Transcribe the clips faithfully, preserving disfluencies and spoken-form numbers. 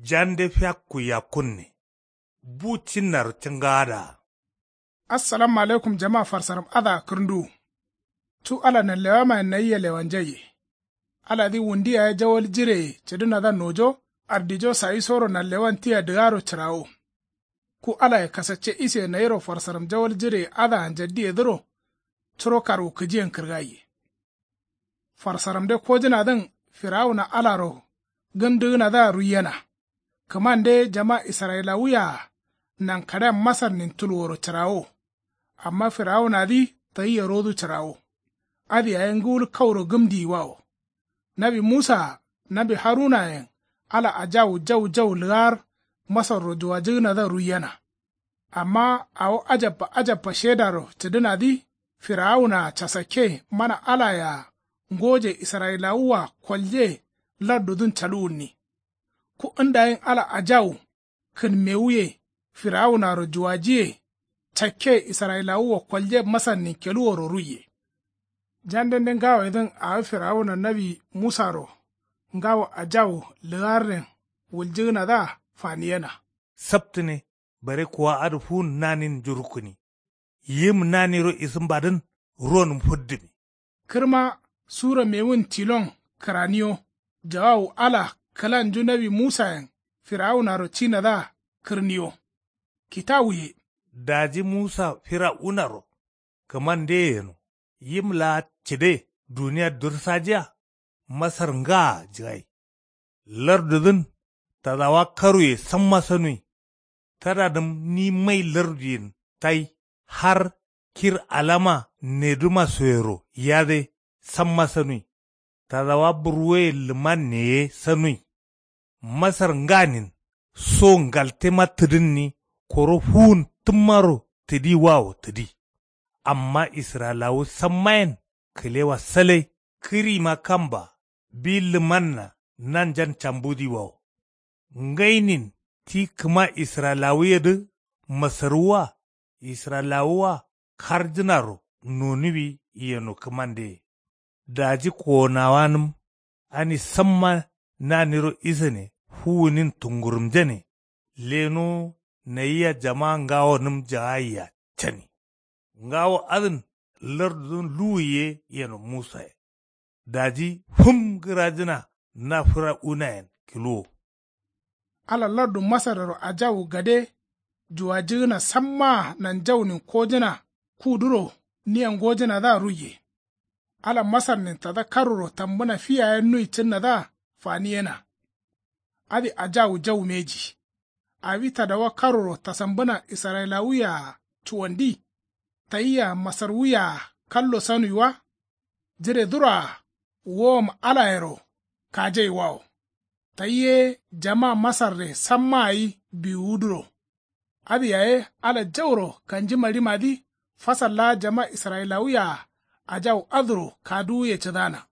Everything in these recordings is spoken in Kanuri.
Jande fiakku yakkunne. Bu cinnaro cǝngaadaa. Assalamu alaikum jama farsaram adǝa kǝrnduwu. Cu ala nanlewamayen nayia lewanjaiye. Aladǝ wundi yaye jawal jireye cǝdǝnadǝa nojo ardijo sayisoro nanlewan tia dǝgaro cǝrawo. Ku alaye kasacce iseye nayiro farsaram jawal jireye adǝa njaddiyedǝro. Curo karwukǝjiyen kǝrgaiye. Farsaramde kojǝnadǝn firawuna alaro gǝmdǝgǝnadǝa ruiyena. Kǝmande jama israyilawuye-a nankaɍean masarnin tulworo cǝrawo. Amma firawunadǝ tayia rodu cǝrawo. Adǝ yaye ngǝwul kauro gǝmdiyiwawo. Nawi musaa nawi harunayen ala ajawu jau jau lǝgaar masarro juwajǝgǝnadǝa ruiyena. Amma awo ajabba ajabba shedaro cǝdǝnadǝ firawunaa casakke mana alaye-a ngoje israyilawuwa kolje lardudǝn caluwunni. Ku ndayin ala ajawu kǝnmewuye firawunaro juwajiye cakke israyilawuwa kolje masarnin keluworo ruiye. Jandende ngawoyedǝn awo firawuna nawi musaro ngawo ajawu lǝgarren wuljǝgǝnadǝa faniyena. Saptǝne bare kuwa adǝ fuwun nanin njurukkǝni. Yim naniro isǝmbadǝn ronǝm fǝddǝmi. Kǝrma sura mewun tilon kǝraniyo. Jawawu ala kǝlanju nawi musayen firawunaro cinadǝa kǝrniyo. Kitawuye. Daji musa firawunaro kǝmandeye yeno yim laa cǝde duniya dursajiya. Masar ngaa jǝgai. Lardudǝn tadawa karuye samma sanui. Tadadǝm ni mai larduyen tai har kir alama nedǝma soyero yade samma sanui. Tadawa burwoye lǝmanne ye sanui. Masar nganin so ngaltema tǝdǝnni koro fuwun tǝmmaro tǝdiwawo tǝdi. Amma israyilawu sammayen kǝlewa salai. Kǝrima kamba bi lǝmanna nanjan cambudiwawo. Ngainin ti kǝma israyilawuyedǝ masarwuwa israyilawuwa karjǝnaro nonuwi yeno kǝmandeye. Daji kowonawanǝm ani samma naniro isane fuwunin tungurumjane. Leno nayia jama ngawonǝm jagaiya cani. Ngawo adǝn lardudǝn luwu ye yeno musaye. Daji fǝm gǝrajǝna na firawunayen kiluwo. Ala lardu masarrero ajawu gade juwajǝgǝna sammaa nanjaunin kojǝna kuduro nia ngojǝnadǝa ruiye. Ala masarnin tada karuro tambǝna fi yaye nui cǝnnadǝa faniyena. Adǝ ajawu jau mbeji. Awi tadawa karoro tasambǝna israyilawuye-a cuwandi. Tayia masarwuye-a kallo sanui wa. Jiredǝro-a wowom alayero kajaiwawo. Tayi ye jama masarre samma gai biwuduro. Adǝ yaye ala jauro kanjimaɍimadǝ fasal laa jama israyilawuye-a ajau adǝro kaduwuye cǝdana.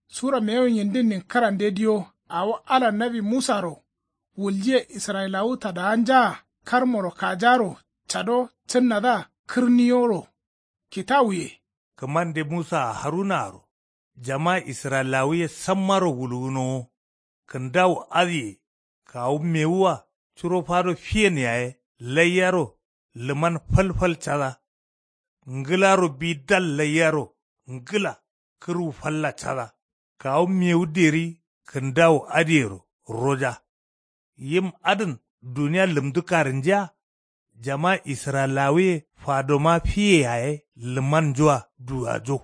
Sura mewun yindinnin kǝrande diyo awo ala nawi musaro wuljiye israyilawu tadawanjaa karmoro kajaro cado cǝnnadǝa kǝrniyoro. Kitawuye. Kǝmande musaa harunaaro jama israyilawuye sammaro wulgǝnowo. Kǝndawu adǝye kawu mewua curo fado fiyen yaye laiyaro lǝman falfal cada. Ngǝlaro bi dal laiyaro ngǝla kǝrwu falla cada. Kawu mewu deri kǝndawu adǝyero roja. Yim adǝn duniya lǝmdu karǝnjiya. Jama israyilawuye fadoma fiye yaye lǝmannjua duwajo.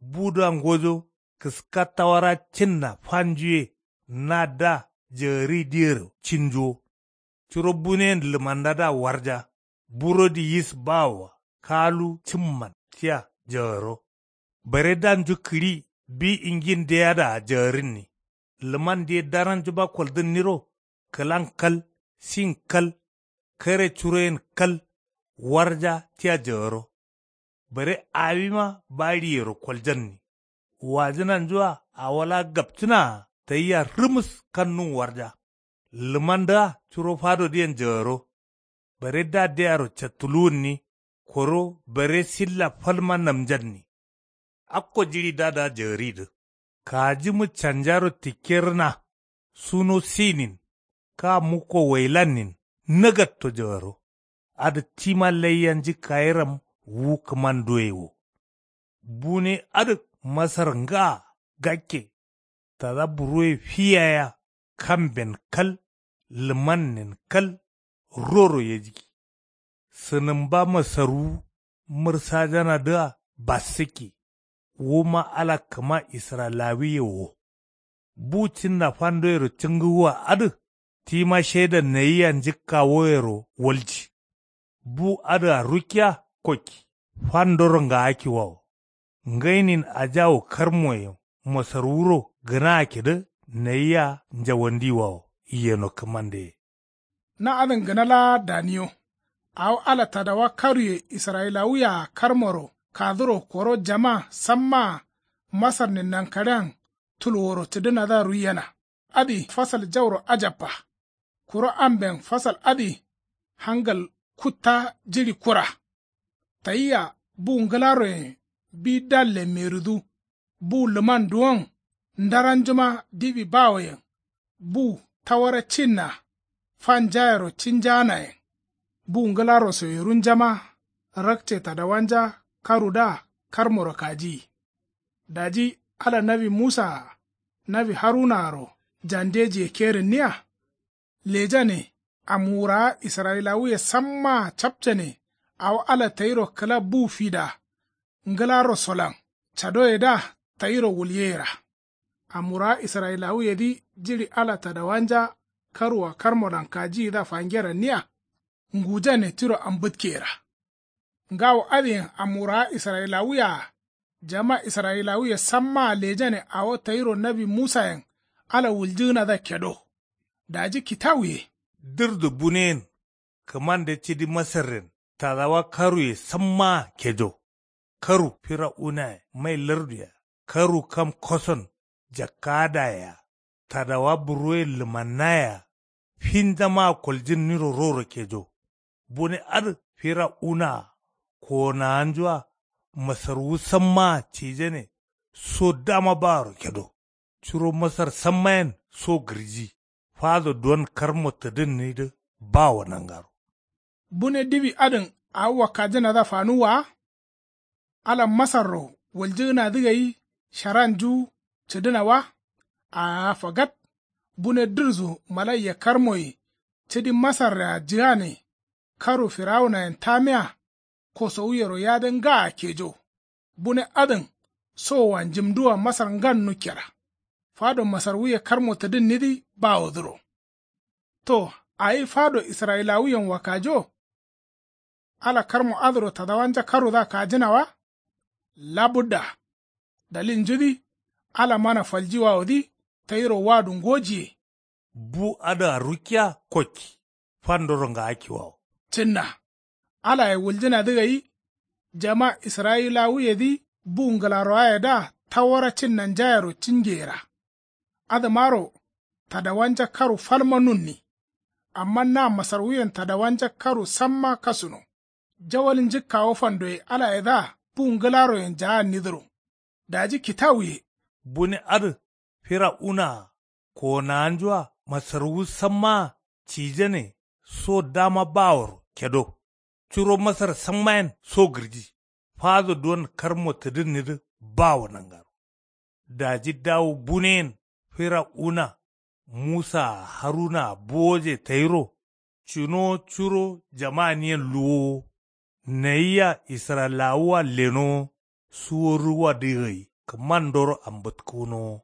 Budǝa ngojo kǝska tawara cinna fanjuye. Nadǝa jagǝri diyero cinjuwo. Curo buneyen lǝmannadǝa warja. Burodi yis bawoa kalu cǝmman tia jagǝro. Bare danju kǝɍi bi ingin deyadǝa jagǝrǝnni. Lǝmande daranjuma koldǝnniro kǝlan kal sin kal kare curoyen kal warja tia jagǝro. Bare awima baɍiyero koljanni. Wajǝnanjua awo laa gapcǝnaa tayia rǝmǝs kannun warja. Lǝmandǝa curo fadodǝyen jagǝro. Bare daddeyaro cattuluwunni. Koro bare silla falma namjanni. Akko jiɍi dadǝa jagǝridǝ kajimǝ canjaro tikkerǝna. Suno sinin Jakka mukko wailannin nagatto jawaro. Adǝ tima laiya njǝkkayiram wu kǝmanduwe wo. Bune adǝ masar ngaa gakke. Tada buruwe fiyaya kamben kal lǝmannen kal roro yejǝgi. Sǝnǝmba masarwu mǝrsajanadǝa bassǝkke. Wuma ala kǝma israyilawuye wo. Bu cinna fandoyero cǝngǝwwa adǝ tima shaida nayia njǝkkawoyero walji. Bu adǝa rukkiya kokki fandoro ngaakkiwawo. Ngainin ajawu karmoye masarwuro gǝnaakkidǝ nayia njawandiwawo yeno kǝmandeye. Na adǝn gǝna laa daniyo. Awo ala tadawa karuye israyilawuye-a karmoro kaduro koro jama sammaa masarnin nankaɍean tulworo cǝdǝnadǝa ruiyena. Adǝ fasal jauro ajabba. Kuro amben fasal adǝ hangal kutta jiɍi kura. Tayia bu ngǝlaroyen bi dalle merǝdu. Bu lǝman duwon ndaranjuma diwi bawoyen. Bu tawara cinna fanjayero cinjaanayen. Bu ngǝlaro soyerunjama rakce tadawanja karudǝa karmoro kajiyi. Daji ala nawi musaa nawi harunaaro jandejiye kerǝnniya. Lejane. Amwurawa israyilawuye sammaa capcane. Awo ala tayiro kǝla bu fida ngǝlarosolan cadoyedǝa tayiro wulyeyera. Amwurawa israyilawuyedǝ jiɍi ala tadawanja karwua karmolan kajiyidǝa fangeranniya. Ngujane tiro ambǝtkeyera. Ngawo adǝyen amwurawa israyilawuye-a jama israyilawuye sammaa lejane awo tayiro nawi musayen ala wuljǝgǝnadǝa kedo. Daji kitawuye. Dǝrdu buneyen kǝmande cidi masarren tadawa karuye sammaa kejo. Karu firawunaye mai larduye-a karu kam koson jakkaadaye-a tadawa burwoye lǝmannaye-a finjamaa koljǝnniro roro kejo. Bune adǝ firawuna-a kowonawanju-a masarwu sammaa cijane so dama baworo kedo. Curo masar sammayen so gǝrji fado duwon karmo tǝdǝnnidǝ bawo nangaro. Bune diwi adǝn awo wakkajǝnadǝa fanuwwa wa. Ala masarro wuljǝgǝnadǝ gai sharanju cǝdǝna wa. Aa fagat. Bune dǝrzu malaiya karmoye cǝdi masarrea jǝgane karu firawunayen tamiya. Kosowuyero yade ngaa kejo. Bune adǝn sowoa njǝmduwa masar ngan nukkera. Fado masarwuye karmo tǝdǝnnidǝ bawodǝro. To awi fado israyilawuyen wakkajo. Ala karmo adǝro tadawanja karudǝa kajǝna wa. Labudda. Dalilnjudǝ ala mana faljiwawodǝ tayiro wadu ngojiye. Bu adǝa rukkiya kokki fandoro ngaakkiwawo. Cǝnna. Alaye wuljǝnadǝ gai jama israyilawuyedǝ bu ngǝlarowayedǝa tawara cinnanjayero cingeyera. Adǝmaro tadawanja karu falma nunni. Amma na masarwuyen tadawanja karu samma kasuno. Jawal njǝkkawo fandoye alayedǝa bu ngǝlaroyen jaannidǝro. Daji kitawuye. Bune adǝ firawuna-a kowonawanju-a masarwu sammaa cijane so dama baworo kedo. Curo masar sammayen so gǝrji fado duwon karmo tǝdǝnnidǝ bawo nangaro. Daji dawu buneyen firawuna musaa harunaa buwoje tayiro. Cǝnowo curo jamaniyen luwowo. Nayia israyilawuwa lenowo suworuwadǝ gai kǝmandoro ambǝtkǝgǝnowo.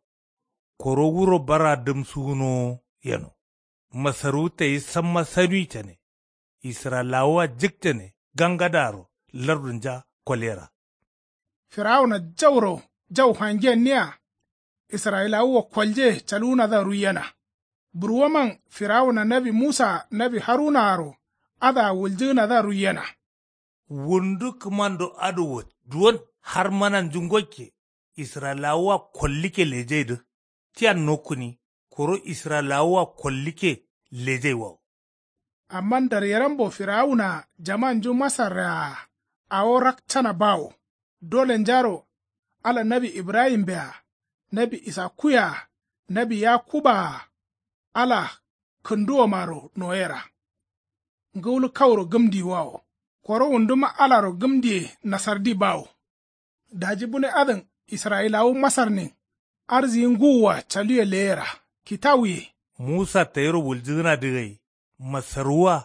Koro wuro bara dǝmsugǝnowo yeno. Masarwu tayi samma sanuwi cane. Israyilawuwa jǝkcane gangadaro lardunja kolera. Firawuna jauro jau fangenniya. Israyilawuwa kolje calwunadǝa ruiyena. Burwoman firawuna nawi musaa nawi harunaaro adǝa wuljǝgǝnadǝa ruiyena. Wundu kǝmando adǝ wo duwon har mananju ngokke. Israyilawuwa kollikke lejaidǝ tiyan nokkuni. Koro israyilawuwa kollikke lejaiwawo. Amma ndaryerambo firawunaa jamanju masarrea-a awo rakcana bawo. Dolenjaro ala nawi ibrahimbe-a nawi isakuye-a nawi yakubaa-a ala kǝnduwomaro noyera. Ngǝwul kauro gǝmdiwawo. Koro wunduma alaro gǝmdiye nasardi bawo. Daji bune adǝn israyilawu masarnin arsiyi ngǝwua caluwe leyera kitawuye. Musa tayiro wuljǝgǝnadǝ gai masaruwua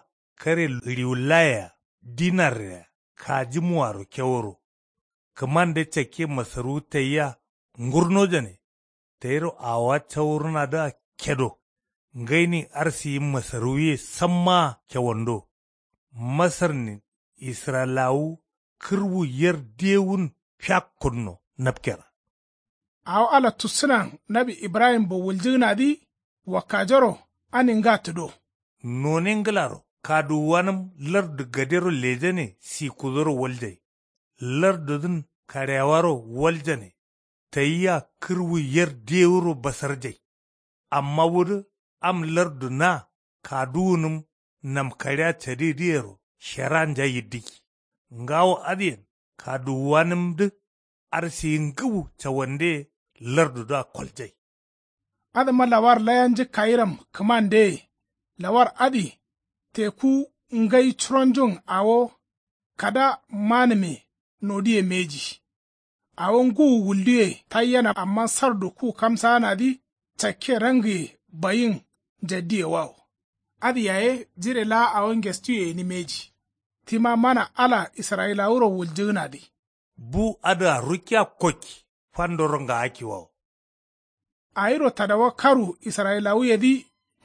kare riwullaye-a dinarre-a kajimuaro keworo. Kǝmande cakke masaruwu tayia ngurnojane. Tayiro awowa cawurunadǝa kedo ngainin arsiyi masaruwuye sammaa kewando. Masarnin israyilawu kǝrwu yer dewun fiakkunno napkera. Awo ala tussǝnan nawi ibrahimbo wuljǝgǝnadǝ wakkajoro ani nga tǝdo. None ngǝlaro kaduwuwanǝm lardu gadero lejane sikkudoro waljai. Lardudǝn karewaro waljane. Tayia kǝrwu yer dewuro basarjai. Amma wudǝ am lardu na kaduwunǝm namkaɍea cadidǝyero sheranja yiddǝgi. Ngawo adǝyen kaduwuwanǝmdǝ arsiyi ngǝwu cawandeye lardudǝa koljai. Adǝma lawar laya njǝkkayiram kǝmandeye. Lawar adǝ teku ngai curonjun awo kada manǝme nodiye mbeji. Awo ngǝwu wulduye taiyena amma sardu ku kamsaanadǝ cakke rangǝye bayin njaddiye wawo. Adǝ yaye jire laa awo ngestuye gǝni mbeji. Tima mana ala israyilawuro wuljǝgǝnadǝ. Bu adǝa rukkiya kokki fandoro ngaakki wawo. Awiro tadawa karu israyilawuyedǝ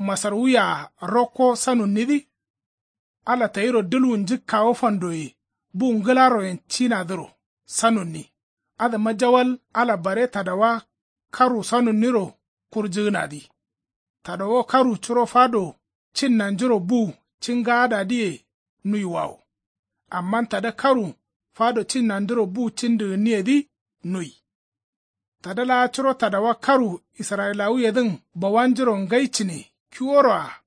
masarwuye-a rokko sanunnidǝ. Ala tayiro dǝlwu njǝkkawo fandoye bu ngǝlaroyen cinadǝro sanunni. Adǝma jawal ala bare tadawa karu sanunniro kurjǝgǝnadǝ. Tadawa karu curo fado cinnanjuro bu cingaadadǝye nui wawo. Amma tada karu fado cinnanduro bu cindǝgǝnniyedǝ nui. Tada laa curo tadawa karu israyilawuyedǝn bawanjuro ngai cǝne kiworo-a.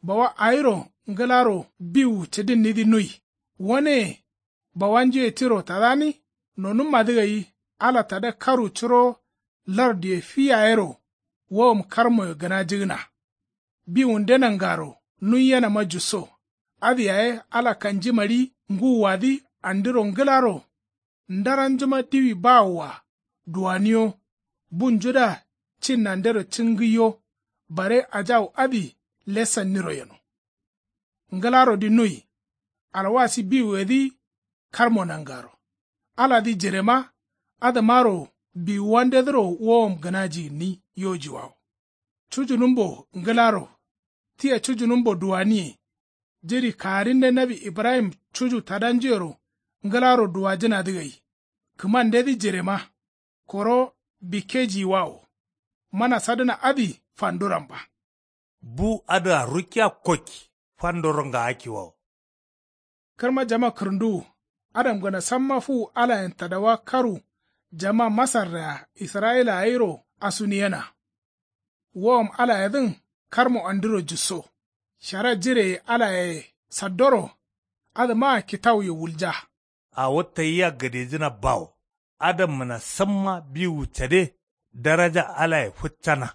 Bawa awiro ngǝlaro biwu cǝdǝnnidǝ nui. Waneye bawanjuye tiro tadani nonummadǝ gai ala tada karu curo larduye fi yayero wowom karmoye gǝnajǝgǝna. Biwunde nangaro nuiyenama jusso. Adǝ yaye ala kanjimari ngǝwuwadǝ andiro ngǝlaro ndaranjuma diwi bawoa duwaniyo. Bunjudǝa cinnandero cingǝiyo. Bare ajawu adǝ lesanniro yeno. Ngǝlarodi nui. Alwasi biwuyedǝ karmo nangaro aladǝ jirema. Adǝmaro biwuwandedǝro wowom gǝnaji gǝnni yojiwawo. Cujunǝmbo ngǝlaro tia cujunǝmbo duwaniye. Jiri kaarinde nawi ibrahim cuju tadanjuyero ngǝlaro duwajǝnadǝ gai. Kǝmandedǝ jirema koro bikkejiyiwawo. Mana sadǝna adǝ fanduramba. Bu adǝa rukkiya kokki fandoro ngaakki wawo. Kǝrma jama kǝrǝnduwu adamgǝna samma fuwu alayen tadawa karu jama masarre-a israyila gairo asuniyena. Wowom alayedǝn karmo andiro jusso. Shara jireye alayeye saddoro. Adǝmaa kitawuye wulja. Awo tayia gadejǝna bawo. Adamgǝna samma biwu cade daraja alaye fǝccana.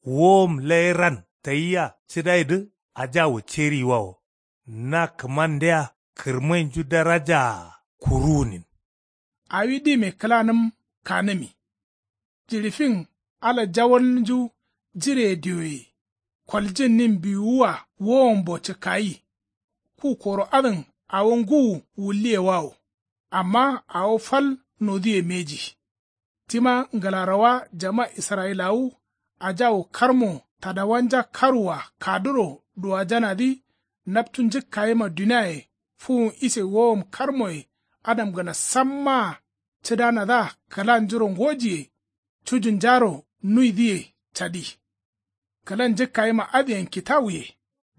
Wowom lairan tayia cǝdaidǝ ajawu ceriyiwawo. Na kǝmandea kǝrmainju darajaa kuruwunin. Awi dime kǝlanǝm kanǝmi. Jiɍi fin ala jawalnju jireye dioye koljǝnnin biwuwua wowombo cǝkkayi. Ku koro adǝn awo ngǝwu wulliyewawo. Amma awo fal noduwe mbeji. Tima ngǝlarowa jama israyilawu ajawu karmo tadawanja karuwa kaduro duwajanadǝ. Naptu njǝkkayima duniaye fuwun ise wowom karmoye adamgǝna sammaa cǝdanadǝa kǝlanjuro ngojiye. Cujunjaro nuidǝye cadi. Kǝlan njǝkkayima adǝyen kitawuye.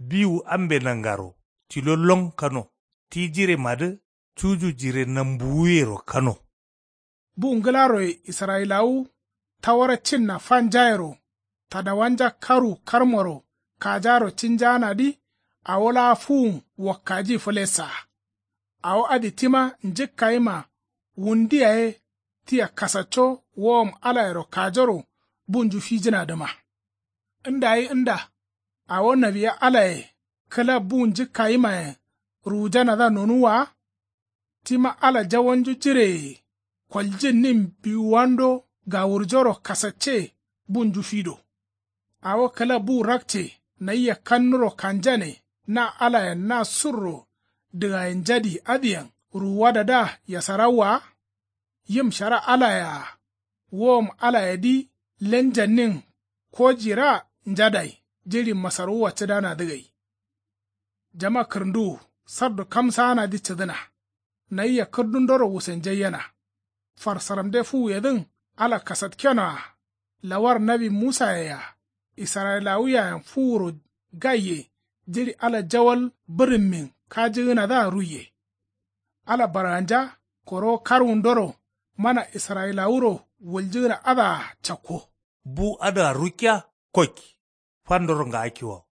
Biwu ambe nangaro tilo lon kano ti jiremadǝ cuju jire nambuwuyero kano. Bu ngǝlaroye israyilawu tawara cinna fanjayero tadawanja karu karmoro kajaro cinjaanadǝ. Awo laa fuwun wakkaji fǝlessaa. Awo adǝ tima njǝkkayima wundi yaye tia kasacco wowom alayero kajoro bunju fijǝnadǝma. Nda gai nda Awo nawiya alaye kǝla bu njǝkkayimayen ruwujanadǝa nonuwwa wa. Tima ala jawalnju jireye koljǝnnin biwuwando gawurjoro kasacce bunju fido. Awo kǝla bu rakce nayia kannuro kanjane na alayen na surro dǝgayen njadi adǝyen ruwuwadadǝa yasarawwa wa. Yim shara alaye-a wowom alayedǝ lenjannin kojira njadai jiɍi masarwuwa cǝdanadǝ gai. Jama kǝrǝnduwu sardu kamsaanadǝ cǝdǝna. Nayia kǝrdundoro wusenjaiyena. Farsaramde fuwuyedǝn ala kasatkenoa lawar nawi musaye-a israyilawuyayen fuwuro gaiye jiɍi ala jawal bǝrǝmmin kajǝgǝnadǝa ruiye. Ala barganja korowo karwundoro mana israyilawuro wuljǝgǝna adǝa cakko. Bu adǝa rukkiya kokki fandoro ngaakkiwawo.